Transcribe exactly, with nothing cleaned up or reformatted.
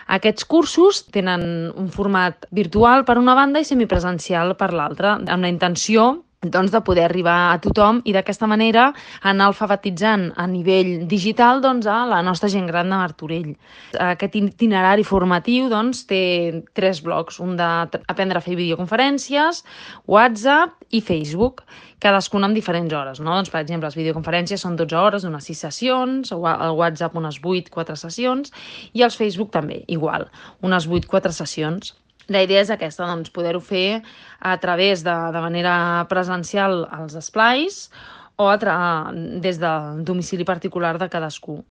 Aquests cursos tenen un format virtual per una banda i semipresencial per l'altra, amb la intenció doncs, de poder arribar a tothom i d'aquesta manera anar alfabetitzant a nivell digital doncs, a la nostra gent gran de Martorell. Aquest itinerari formatiu doncs, té tres blocs, un d'aprendre a fer videoconferències, WhatsApp i Facebook, cadascuna amb diferents hores. No? Doncs, per exemple, les videoconferències són dotze hores, unes sis sessions, el WhatsApp unes vuit, quatre sessions, i els Facebook també, igual, unes vuit, quatre sessions. La idea és aquesta, doncs, poder-ho fer a través de, de manera presencial als esplais o a tra des del domicili particular de cadascú.